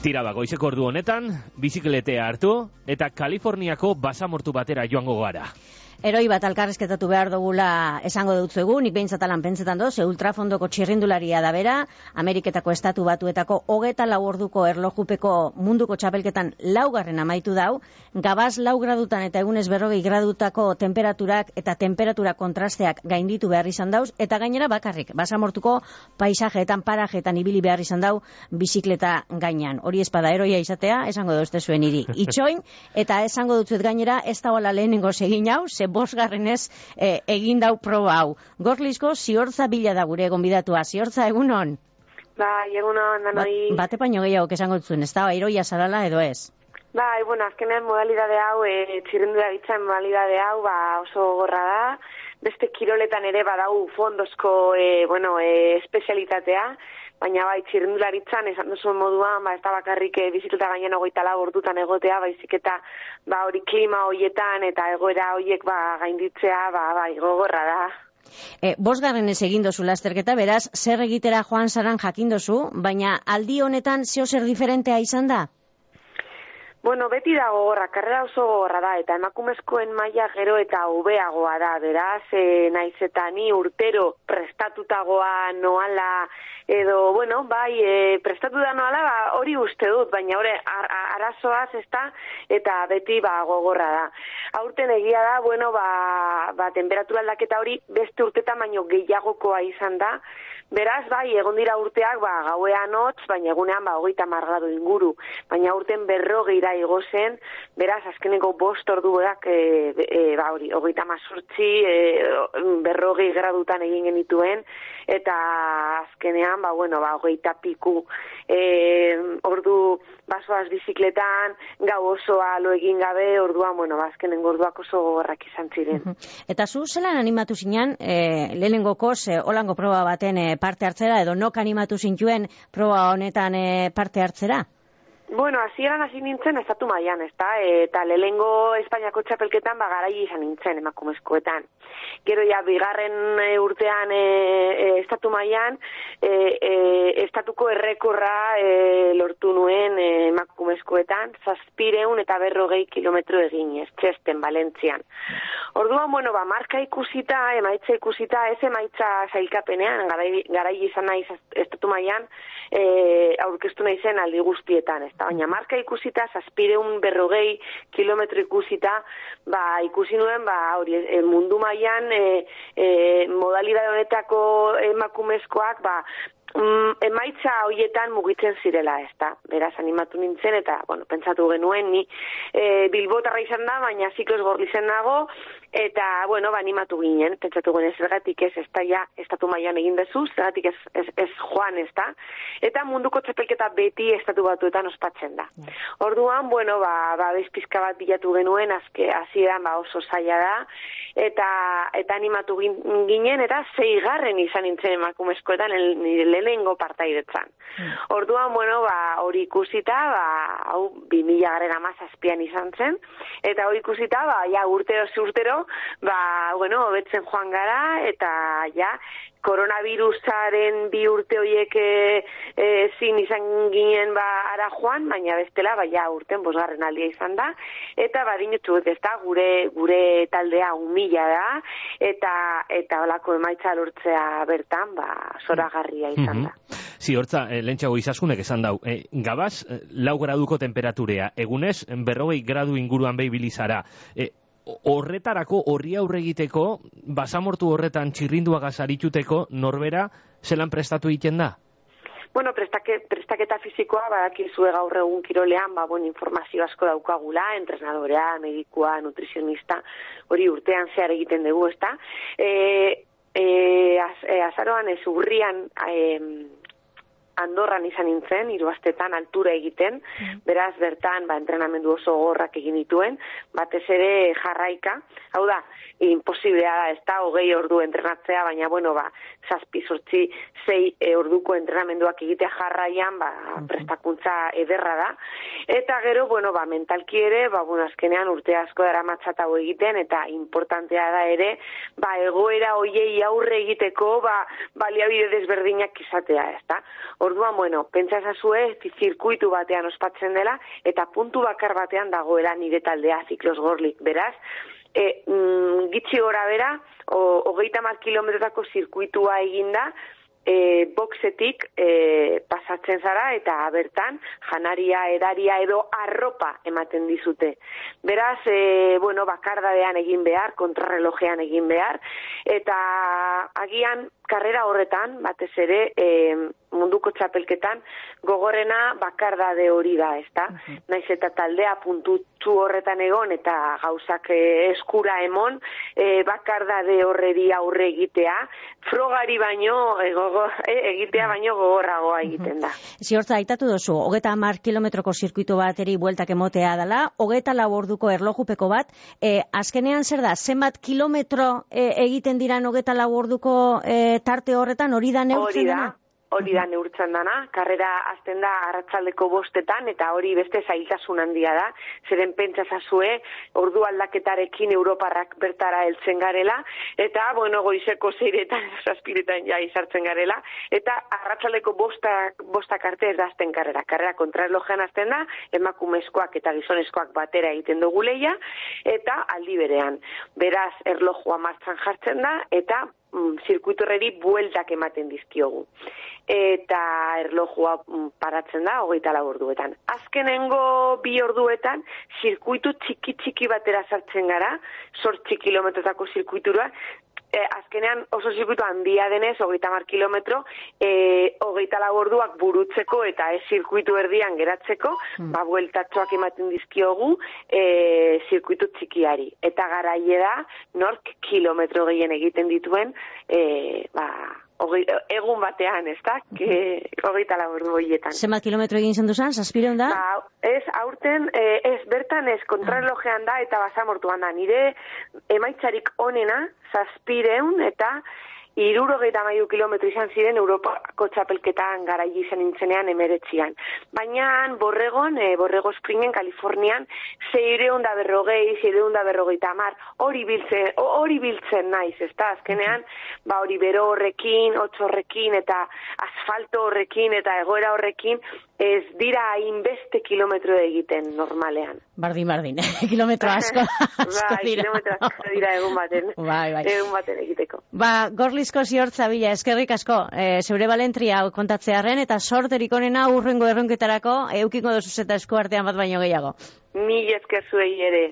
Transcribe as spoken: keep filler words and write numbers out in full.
Tira ba, goizeko ordu honetan, bizikletea hartu eta Kaliforniako basamortu batera joango gara. Eroi bat alkarrezketatu behar dugula esango dutzuegu, nik behintzatalan pentsetan doz, ultrafondoko txirrindularia da bera, Ameriketako estatu batuetako hogeta lau orduko erlojupeko munduko txapelketan laugarren amaitu dau, gabaz lau gradutan eta egunez berrogei gradutako temperaturak eta temperatura kontrasteak gainditu behar izan dauz, eta gainera bakarrik, basamortuko paisajeetan, parajeetan ibili behar izan dau bizikleta gainean. Hori espada eroia izatea, esango duzte zuen iri. Itxoin, eta esango dutzuet gainera, ez dagoela lehenengo segin hau, ze bosgarrenez eh, egin dau proba hau. Gorlizko ziortza bila da gure gonbidatua. Ziortza, egunon? Bai, egunon, danoi. Ba, bate paino gehiago esango zuen, ez da, iroia zarala edo ez? Bai, bueno, azkenean modalidade hau, e, txirrindularitzan modalidade hau, ba, oso gorra da. Beste kiroletan ere badau fondozko, e, bueno, e, espezialitatea. Baina bai, txirrindularitzan, esan duzuen moduan, ba, ez da bakarrik e, bizikleta gainean hogeita lau ordutan egotea, baizik eta ba, hori klima hoietan eta egoera hoiek ba, gainditzea, ba, bai, gogorra da. E, bosgarren ez egin dozu lasterketa, beraz, zer egitera joan zaran jakin dozu, baina aldi honetan zeo zer diferentea izan da? Bueno, beti da gogorra, karrera oso gogorra da, eta emakumezkoen maila gero eta hobeagoa da, beraz, e, naiz eta ni urtero prestatutagoa noala, edo, bueno, bai, e, prestatu da noala, ba, hori uste dut, baina hori ar arazoaz ez da, eta beti ba, gogorra da. Aurten egia da, bueno, ba, ba, temperatura aldaketa hori beste urtetan baino gehiagokoa izan da, beraz, bai, egon dira urteak, ba, gauean hotz, baina egunean, ba, hogeita hamar gradu inguru, baina urten berrogeira igo zen, beraz, azkeneko bost orduak, e, e, ba, hori, hogeita hamazortzi, e, berrogei gradutan egin genituen, eta azkenean, ba, bueno, ba, hogeita piku, e, ordu basoaz bizikletan, gau osoa lo egin gabe, orduan, bueno, ba, azkenen orduak oso gogorrak izan ziren. Eta zu, zelan animatu zinan, e, lehenengokoz, e, holango proba baten e, parte hartzera, edo nok animatu zintuen proba honetan e, parte hartzera? Bueno, hasieran hasi nintzen estatu mailan, ezta? Eta lehengo Espainiako txapelketan ba garai izan nintzen emakumezkoetan. Gero ja bigarren e, urtean e, e, estatu mailan e, e, estatuko errekorra e, lortu nuen e, emakumezkoetan, zazpireun eta berrogei kilometro eginez, Txesten, Valentzian. Orduan, bueno, ba, marka ikusita, emaitza ikusita, ez emaitza sailkapenean, garai, garai izan naiz estatu mailan, e, aurkeztu nahi zen aldi guztietan, ez? Baina marka ikusita, zazpireun berrogei kilometro ikusita, ba, ikusi nuen, ba, hori, e, mundu mailan e, e, modalidade honetako emakumezkoak, ba, Mm, emaitza hoietan mugitzen zirela, ez da. Beraz, animatu nintzen, eta, bueno, pentsatu genuen, ni e, bilbotarra izan da, baina zikloz gorlizen nago, eta, bueno, ba, animatu ginen, pentsatu ginen, zergatik ez, ez da, ja, estatu mailan egin dezu, zergatik ez, ez, ez joan, ez da. Eta munduko txapelketa beti estatu batuetan ospatzen da. Orduan, bueno, ba, ba bezpizka bat bilatu genuen, azke, hasieran ba, oso zaila da, eta, eta animatu ginen, eta zeigarren izan nintzen emakumezkoetan, nire lehenengo partaidetzan. Mm. Orduan, bueno, ba, hori ikusita, ba, hau, bi mila garren amazazpian izan zen, eta hori ikusita, ba, ja, urtero urtero, ba, bueno, hobetzen joan gara, eta, ja, koronavirusaren bi urte horiek e, e, zin izan ginen ba ara joan, baina bestela, ba, ja, urten bosgarren aldia izan da, eta badinutzu, ez da, gure, gure taldea humila da, eta, eta holako emaitza lortzea bertan, ba, zoragarria izan da. Mm-hmm. Si, hortza, eh, lentsago izaskunek esan dau, eh, gabaz, eh, lau graduko temperaturea, egunez, berrogei gradu inguruan behi bilizara, eh, horretarako, horri aurre egiteko, basamortu horretan txirrinduagaz arituteko, norbera, zelan prestatu egiten da? Bueno, prestake, prestaketa fizikoa, badakizue gaur egun kirolean, ba, bon, informazio asko daukagula, entrenadorea, medikua, nutrizionista, hori urtean zehar egiten dugu, ezta? E, e, az, e, azaroan ez urrian, e, Andorran izan nintzen, hiru astetan altura egiten, beraz bertan ba, entrenamendu oso gorrak egin dituen, batez ere jarraika, hau da, imposiblea da, ez da, hogei ordu entrenatzea, baina, bueno, ba, zazpi, zortzi, zei e, orduko entrenamenduak egitea jarraian, ba, prestakuntza ederra da, eta gero, bueno, ba, mentalki ere, ba, bueno, azkenean urte asko dara matxatago egiten, eta importantea da ere, ba, egoera hoiei aurre egiteko, ba, baliabide desberdinak izatea, ez da. Orduan, bueno, pentsa ezazue, zirkuitu batean ospatzen dela, eta puntu bakar batean dagoela nire taldea Ziklos Gorlik, beraz, e, mm, gitxi gora bera, hogeita hamar kilometrotako zirkuitua eginda, E, boxetik e, pasatzen zara eta bertan janaria, edaria edo arropa ematen dizute. Beraz, e, bueno, bakardadean egin behar, kontrarrelojean egin behar, eta agian karrera horretan, batez ere, e, munduko txapelketan, gogorrena bakardade hori da, ezta? Uh-huh. Naiz eta taldea puntutsu horretan egon eta gauzak e, eskura emon, e, bakardade horreri aurre egitea, frogari baino e, gogo, e, egitea baino gogorragoa egiten da. Ziortza, aitatu duzu, hogeta hamar kilometroko zirkuito bateri bueltak emotea dela, hogeta lau orduko erlojupeko bat, e, azkenean zer da, zenbat kilometro e, egiten diran hogeta lau orduko e, tarte horretan, hori da neurtzen dena? Hori da neurtzen dana, karrera azten da arratsaldeko bostetan, eta hori beste zailtasun handia da, zeren pentsazazue, ordu aldaketarekin Europarrak bertara heltzen garela, eta, bueno, goizeko zeiretan, zazpiretan ja izartzen garela, eta arratsaldeko bostak, bostak arte ez da azten karrera. Karrera kontrarrelojean azten da, emakumezkoak eta gizonezkoak batera egiten dugu leia, eta aldi berean. Beraz, erlojua martxan jartzen da, eta mm, zirkuitu horreri bueltak ematen dizkiogu. Eta erlojua paratzen da hogeita lau orduetan. Azkenengo bi orduetan zirkuitu txiki-txiki batera sartzen gara, zortzi kilometrotako zirkuitura, e, azkenean oso zirkuitu handia denez, hogeita hamar kilometro, e, hogeita lau orduak burutzeko eta ez zirkuitu erdian geratzeko, mm. ba, bueltatxoak ematen dizkiogu e, zirkuitu txikiari. Eta garaie da, nork kilometro gehien egiten dituen, e, ba, Ogei, egun batean, ez da, hogeita lau ordu horietan. Zenbat kilometro egin zen duzan, zazpireun da? Ba, ez, aurten, ez, bertan ez, kontrarrelojean da eta basamortuan da. Nire emaitzarik onena, zazpireun eta hirurogeita hamairu kilometro izan ziren Europako txapelketan garaile izan nintzenean emeretzian. Baina Borregon, e, Borrego Springen, Kalifornian, seireun da berrogei, seireun da berrogeita hamar, hori biltzen, hori biltzen naiz, ez da, azkenean, ba hori bero horrekin, hotz horrekin, eta asfalto horrekin, eta egoera horrekin, ez dira hainbeste kilometro egiten normalean. Bardin, bardin, kilometro asko, asko bai, dira. Kilometro asko dira egun baten, bai, bai. egun baten egiteko. Ba, Gorlizko Ziortza Bila, eskerrik asko, e, zeure balentria kontatzearen, eta sorterik onena urrengo erronketarako, eukiko dozuz eta esku artean bat baino gehiago. Mil esker zuei ere.